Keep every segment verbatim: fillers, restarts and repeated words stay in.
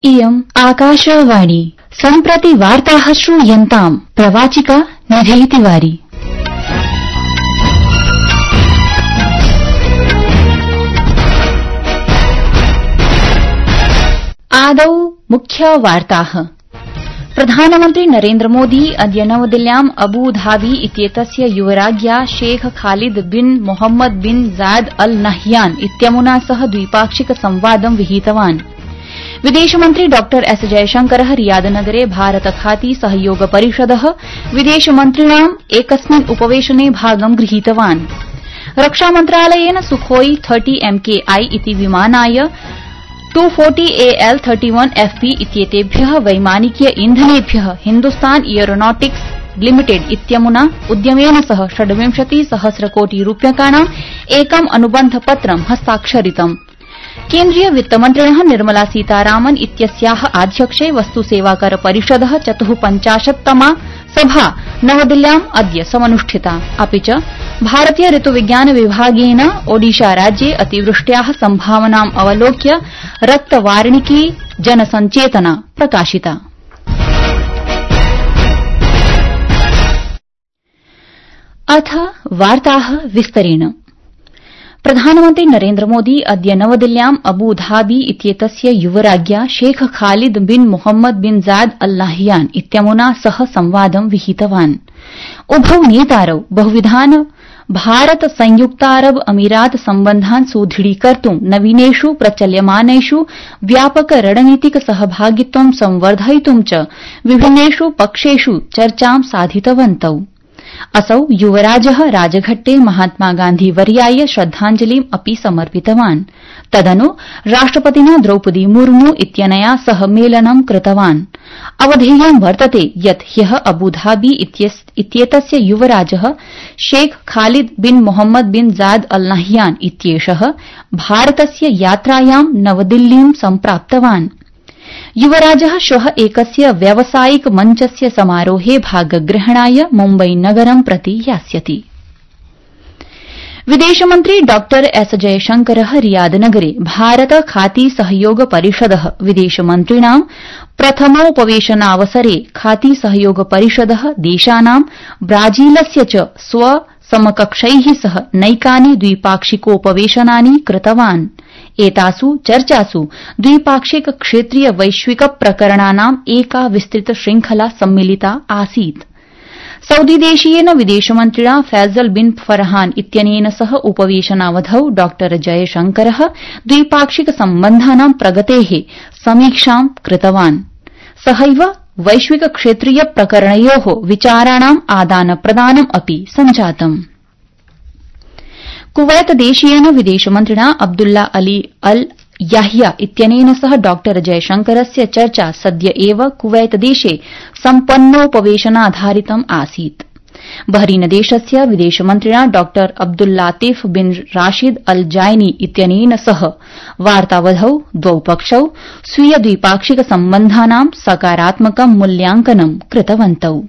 इयम् आकाशवाणी सम्प्रति वार्ताः श्रूयन्ताम् प्रवाचिका निधेतिवारी। आदौ मुख्य वार्ताः। प्रधानमन्त्री नरेन्द्र मोदी अद्य नवदिल्ल्याम् अबू धाबी इत्येतस्य युवराज्ञा शेख खालिद बिन मोहम्मद बिन जायद अल नह्यान इत्यमुना सह द्विपाक्षिक संवादं विहितवान्। विदेशमन्त्री डॉ एस जयशंकरः रियादनगरे भारत खाती सहयोग परिषदः विदेशमन्त्रिणाम् एकस्मिन् उपवेशने भागं गृहीतवान्। रक्षामन्त्रालयेन सुखोई तीस एमकेआई इति विमानाय two forty A L thirty one F P इत्येतेभ्यः वैमानिकीय इन्धनेभ्यः हिन्दुस्तान एयरोनॉटिक्स लिमिटेड इत्यमुना उद्यमेन सह षड्विंशति सहस्र कोटि रूप्यकाणाम् एकम् अनुबन्धपत्रं हस्ताक्षरितम्। केन्द्रीय वित्तमन्त्रिणः निर्मला सीतारामन इत्यस्याः आध्यक्षे वस्तुसेवाकर परिषदः चतुःपञ्चाशत्तमा सभा नवदिल्ल्याम् अद्य समनुष्ठिता। अपि च भारतीय ऋतुविज्ञान विभागेन ओडिशा राज्ये अतिवृष्ट्याः सम्भावनाम् अवलोक्य रक्तवार्णिकी जनसञ्चेतना प्रकाशिता। अथ वार्ताः विस्तरेण। प्रधानमन्त्री नरेन्द्र मोदी अद्य नवदिल्ल्याम् अबू धाबी इत्येतस्य युवराज्ञा शेख खालिद बिन मोहम्मद बिन जायद अल नह्यान इत्यमुना सह संवादं विहितवान्। उभौ नेतारौ बहुविधान् भारत संयुक्तारब अमीरात सम्बन्धान् सुदृढीकर्तुं नवीनेष् प्रचल्यमानेष् व्यापक रणनीतिक सहभागित्वं संवर्धयितुं च विभिन्नेष् पक्षेष् चर्चां साधितवन्तौ। असौ युवराजः राजघट्टे महात्मा गान्धी वर्याय श्रद्धाञ्जलिम् अपि समर्पितवान्। तदनु राष्ट्रपतिना द्रौपदी मुर्मू इत्यनया सह मेलनं कृतवान्। अवधेयं वर्तते यत् ह्यः अबूधाबी इत्येतस्य युवराजः शेख खालिद बिन मोहम्मद बिन जायद अल नह्यान इत्येषः भारतस्य यात्रायां नवदिल्लीं सम्प्राप्तवान्। युवराजः श्वः एकस्य व्यावसायिक मञ्चस्य समारोहे भागग्रहणाय मुम्बई नगरं प्रति यास्यति। विदेशमन्त्री डॉ एस जयशंकरः रियादनगरे भारत खाती सहयोग परिषदः विदेशमन्त्रिणां प्रथमोपवेशनावसरे खाती सहयोग परिषदः देशानां ब्राजीलस्य च स्वसमकक्षैः सह नैकानि द्विपाक्षिकोपवेशनानि कृतवान्। एतासु चर्चासु द्विपाक्षिक क्षेत्रीय वैश्विक प्रकरणानाम् एका विस्तृत श्रृंखला सम्मिलिता आसीत्। सऊदीदेशीयेन विदेशमन्त्रिणा फैजल बिन फरहान इत्यनेन सह उपवेशनावधौ डॉ जयशंकरः द्विपाक्षिक सम्बन्धानां प्रगतेः समीक्षां कृतवान्। सहैव वैश्विक क्षेत्रीय प्रकरणयोः विचाराणाम् आदानप्रदानम् अपि सञ्जातम्। कुवैत देशीयेन विदेशमन्त्रिणा अब्दुल्ला अली अल याह्या इत्यनेन सह डॉ जयशंकरस्य चर्चा सद्य एव कुवैत देशे सम्पन्नोपवेशनाधारितम् आसीत्। बहरीन देशस्य विदेशमन्त्रिणा डॉ अब्दुल्लातिफ बिन राशिद अल जायनी इत्यनेन सह वार्तावधौ द्वौ पक्षौ स्वीय द्विपाक्षिक सम्बन्धानां सकारात्मकं मूल्यांकनं कृतवन्तौ।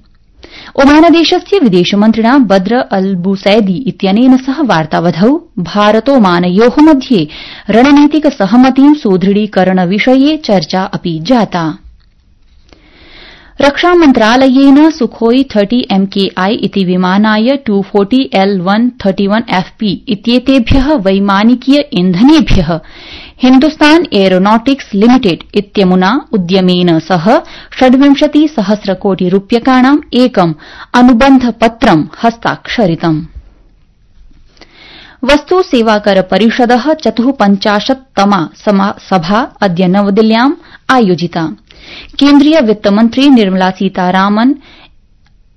ओमानदेशस्य विदेशमन्त्रिणा बद्र अल बुसैदी इत्यनेन सह वार्तावधौ भारतोमानयोः मध्ये रणनीतिक सहमतिं सुदृढीकरणविषये चर्चा अपि जाता। रक्षामन्त्रालयेन सुखोई तीस एमकेआई इति विमानाय टू फोर्टी एल वन थर्टी वन एफ पी इत्येतेभ्यः वैमानिकीय इन्धनेभ्यः हिन्दुस्तान एयरोनॉटिक्स लिमिटेड इत्यमुना उद्यमेन सह षड्विंशति सहस्र कोटि रूप्यकाणाम् एकम् अनुबन्धपत्रं हस्ताक्षरितम्। वस्तु सेवाकर परिषदः चतुःपञ्चाशत्तमा सभा अद्य नवदिल्ल्याम् आयोजिता। केन्द्रीय वित्तमन्त्री निर्मला सीतारामन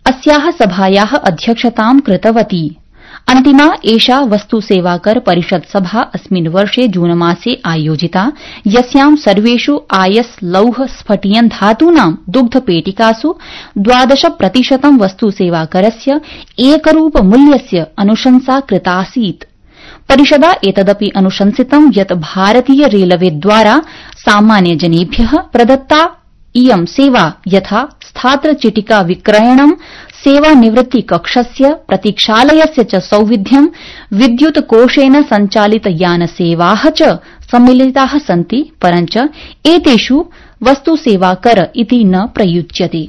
अस्याः सभायाः अध्यक्षतां कृतवती। अन्तिमा एषा वस्तु सेवाकर परिषद सभा अस्मिन् वर्षे जूनमासे आयोजिता, यस्यां सर्वेष् आयस लौह स्फटियन धातूनां दुग्धपेटिकासु द्वादश प्रतिशतं वस्तु सेवाकरस्य एकरूप मूल्यस्य अनुशंसा कृतासीत्। परिषदा एतदपि अनुशंसितं यत् भारतीय रेलवेद्वारा सामान्यजनेभ्यः प्रदत्ता इयं सेवा यथा स्थात्रचिटिका विक्रयणं सेवानिवृत्ति कक्षस्य प्रतीक्षालयस्य च सौविध्यं विद्युत कोषेण सञ्चालित यानसेवाः च सम्मिलिताः सन्ति, परञ्च एतेषु वस्तु सेवा कर इति न प्रयुज्यते।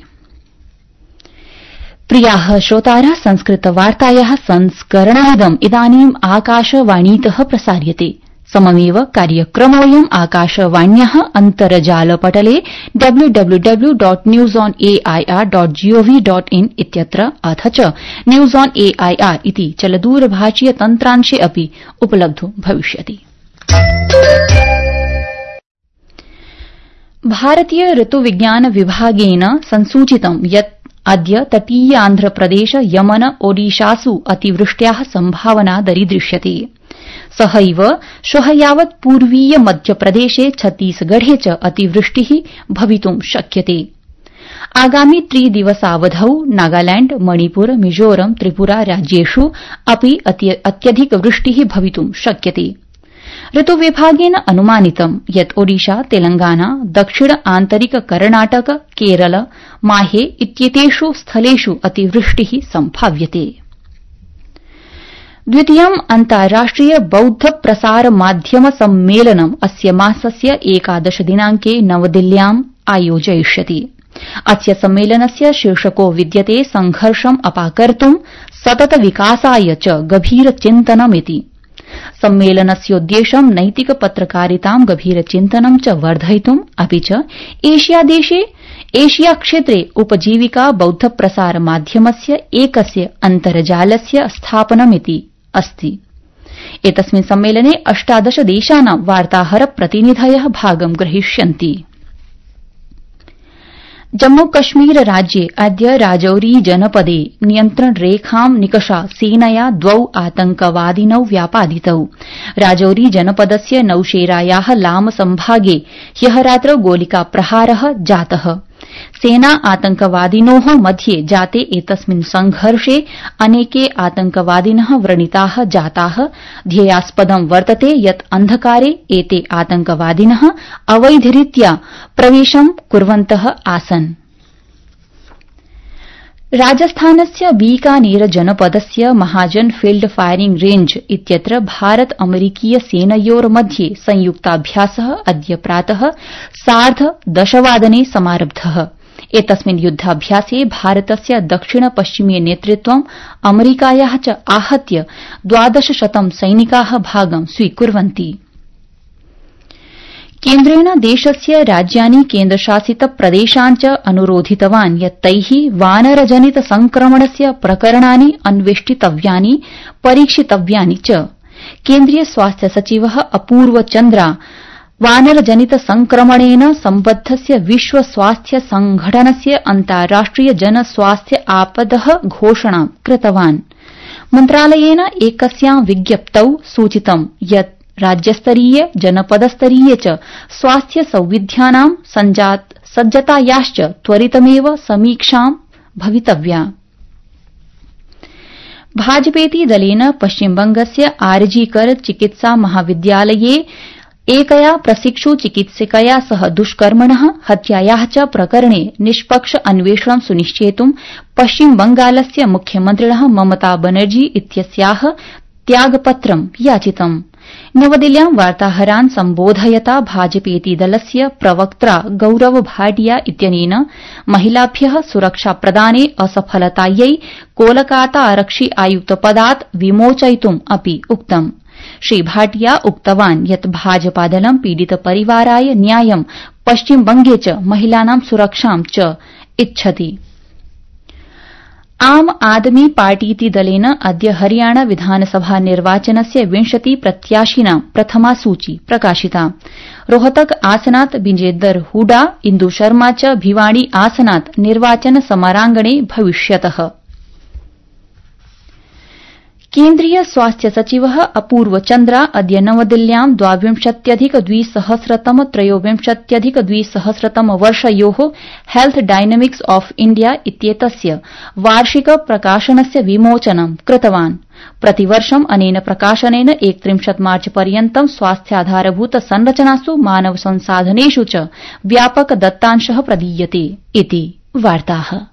प्रियाः श्रोतारः, संस्कृतवार्तायाः संस्करणमिदम् इदानीम् आकाशवाणीतः प्रसार्यते। सममेव कार्यक्रमोऽयम् आकाशवाण्याः अन्तर्जालपटले W W W dot news on A I R dot G O V dot in इत्यत्र अथ च news on A I R इति चलदूरभाषीय तन्त्रांशे अपि उपलब्धो भविष्यति। भारतीय ऋतुविज्ञान विभागेन संसूचितं यत् अद्य तटीयान्ध्रप्रदेश यमन ओडिशासु अतिवृष्ट्याः संभावना दरीदृश्यते। सहैव श्वः यावत् पूर्वीय मध्यप्रदेशे छत्तीसगढे च अतिवृष्टिः भवितुं शक्यते। आगामि त्रिदिवसावधौ नागालैंड, मणिपुर, मिजोरम, त्रिपुरा राज्येषु अपि अत्यधिक वृष्टिः भवितुं शक्यते। ऋतुविभागेन अनुमानितं यत् ओडिशा, तेलंगाना, दक्षिण आन्तरिक कर्णाटक, केरल, माहे इत्येतेषु स्थलेषु अतिवृष्टिः सम्भाव्यते। द्वितीयम् अन्ताराष्ट्रिय बौद्ध प्रसार माध्यम सम्मेलनम् अस्य मासस्य एकादश दिनांके नवदिल्ल्याम् आयोजयिष्यति। अस्य सम्मेलनस्य शीर्षको विद्यते संघर्षम् अपाकर्तुं सतत विकासाय च गभीर चिन्तनमिति। सम्मेलनस्योद्देश्यं नैतिक पत्रकारितां, गभीरचिन्तनं च वर्धयितुं अपि च एशियादेशे एशिया क्षेत्रे उपजीविका बौद्ध प्रसार माध्यमस्य एकस्य अन्तर्जालस्य स्थापनमिति अस्ति। एतस्मिन् सम्मेलने अष्टादश देशानां वार्ताहर प्रतिनिधयः भागं ग्रहीष्यन्ति। जम्मू कश्मीर राज्ये अद्य राजौरी जनपदे नियन्त्रण रेखां निकषा सेनया द्वौ आतंकवादिनौ व्यापादितौ। राजौरी जनपदस्य नौशेरायाः लाम संभागे ह्यः रात्रौ गोलिकाप्रहारः जातः। सेना आतंकवादिनोः मध्ये जाते एतस्मिन् संघर्षे अनेके आतंकवादिनः व्रणिताः जाताः। ध्येयास्पदं वर्तते यत् अन्धकारे एते आतंकवादिनः अवैधरीत्या प्रवेशं कुर्वन्तः आसन्। राजस्थानस्य बीकानेर जनपदस्य महाजन फील्ड फायरिंग रेंज इत्यत्र भारत अमेरिकीय सेनयोर्मध्ये संयुक्ताभ्यासः अद्य प्रातः सार्ध दशवादने समारब्धः। एतस्मिन् युद्धाभ्यासे भारतस्य दक्षिण पश्चिमीय नेतृत्वं अमेरिकायाः च आहत्य द्वादशशतं सैनिकाः भागं स्वीकुर्वन्ति। केन्द्रेण देशस्य राज्यानि केन्द्रशासित प्रदेशान् च अनुरोधितवान् यत् तैः वानरजनित संक्रमणस्य प्रकरणानि अन्वेष्टितव्यानि, परीक्षितव्यानि च। केन्द्रीय स्वास्थ्य सचिवः अपूर्व चन्द्रा वानरजनित संक्रमणेन सम्बद्धस्य विश्व स्वास्थ्य संघटनस्य अन्ताराष्ट्रिय जन स्वास्थ्य आपदः घोषणां कृतवान्। मन्त्रालयेन एकस्यां विज्ञप्तौ सूचितं यत् राज्यस्तरीय, जनपदस्तरीय च स्वास्थ्य सौविध्यानां सज्जतायाश्च त्वरितमेव समीक्षां भवितव्या। भाजपेति दलेन पश्चिमबंगस्य आरजीकर चिकित्सा महाविद्यालये एकया प्रशिक्षु चिकित्सकया सह दुष्कर्मणः, हत्यायाः च प्रकरणे निष्पक्ष अन्वेषणं सुनिश्चेतुं पश्चिमबंगालस्य मुख्यमन्त्रिणः ममता बनर्जी इत्यस्याः त्यागपत्रं याचितम्। नवदिल्ल्यां वार्ताहरान् सम्बोधयता भाजपेति दलस्य प्रवक्त्रा गौरव भाटिया इत्यनेन महिलाभ्यः सुरक्षाप्रदाने असफलतायै कोलकाता आरक्षि आयुक्तपदात् विमोचयितुम् अपि उक्तम्। श्री भाटिया उक्तवान् यत् भाजपादलं पीडितपरिवाराय न्यायं, पश्चिमबंगे च महिलानां सुरक्षां च इच्छति। आम आदमी पार्टीति दलेन अद्य हरियाणा विधानसभा निर्वाचनस्य विंशति प्रत्याशिनां प्रथमा सूची प्रकाशिता। रोहतक आसनात् विजेन्दर हुडा, इन्दु शर्मा च भिवाड़ी आसनात् निर्वाचन समरांगणे भविष्यतः। केन्द्रीय स्वास्थ्य सचिवः अपूर्व चन्द्रा अद्य नवदिल्ल्यां द्वाविंशत्यधिक द्विसहस्रतम त्रयोविंशत्यधिक द्विसहस्रतम वर्षयोः हेल्थ डायनामिक्स ऑफ इंडिया इत्येतस्य वार्षिक प्रकाशनस्य विमोचनं कृतवान्। प्रतिवर्षम् अनेन प्रकाशनेन एकत्रिंशत् मार्च पर्यन्तं स्वास्थ्याधारभूत संरचनासु, मानव संसाधनेषु च व्यापक दत्तांशः प्रदीयते इति वार्ताः।